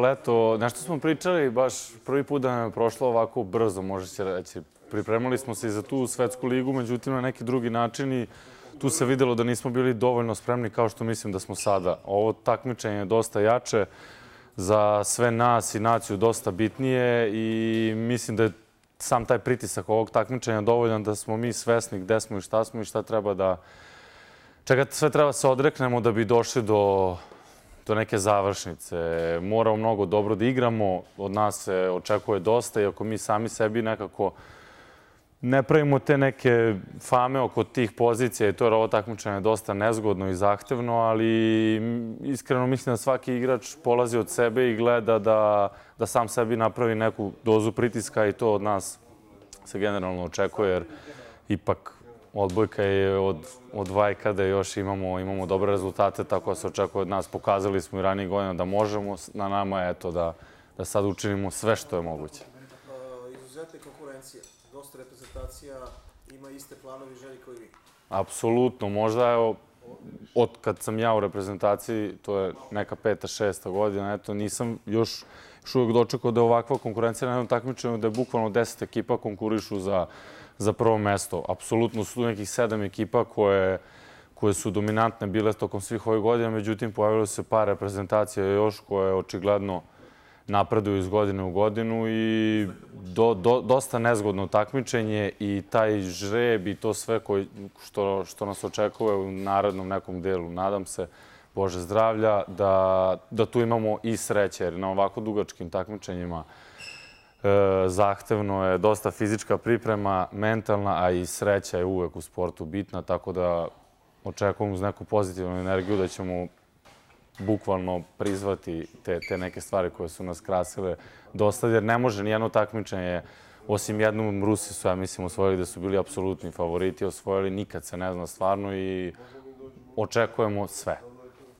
leto, nešto smo pričali, baš prvi put da nam je prošlo ovako brzo, može se reći. Pripremali smo se i za tu svetsku ligu, međutim na neki drugi način i tu se videlo da nismo bili dovoljno spremni kao što mislim da smo sada. Ovo takmičenje je dosta jače, za sve nas i naciju dosta bitnije i mislim da je sam taj pritisak ovog takmičenja dovoljan da smo mi svesni gde smo i šta treba da... Čega sve treba se odreknemo da bi došli do neke završnice. Moramo mnogo dobro da igramo, od nas se očekuje dosta i ako mi sami sebi nekako ne pravimo te neke fame oko tih pozicija i to je ovo takmičenje dosta nezgodno i zahtevno, ali iskreno mislim da svaki igrač polazi od sebe i gleda da sam sebi napravi neku dozu pritiska i to od nas se generalno očekuje jer ipak odbojka je od vajkada još imamo dobre rezultate, tako da se očekuje od nas. Pokazali smo i ranije godina da možemo, na nama je eto da sad učinimo sve što je moguće. Izuzetna konkurencija, dosta reprezentacija, ima iste planovi i želje kao i vi. Apsolutno, možda evo, od kad sam ja u reprezentaciji, to je neka 5. 6. godina, eto nisam još uvijek dočekao da je ovakva konkurencija na jednom takmičenju, da je bukvalno 10 ekipa konkurišu za prvo mesto. Apsolutno su nekih 7 ekipa koje su dominantne bile tokom svih ovih godina, međutim pojavilo se par reprezentacija još koje očigledno napreduju iz godine u godinu i dosta nezgodno takmičenje i taj žreb i to sve što nas očekuje u narednom nekom delu. Nadam se, Bože zdravlja, da tu imamo i sreće, jer na ovako dugačkim takmičenjima zahtevno je dosta fizička priprema, mentalna, a i sreća je uvek u sportu bitna, tako da očekujem uz neku pozitivnu energiju da ćemo bukvalno prizvati te neke stvari koje su nas krasile dosta, jer ne može nijedno takmičenje, osim jednom Rusi su, ja mislim, osvojili da su bili apsolutni favoriti, osvojili, nikad se ne zna stvarno i očekujemo sve.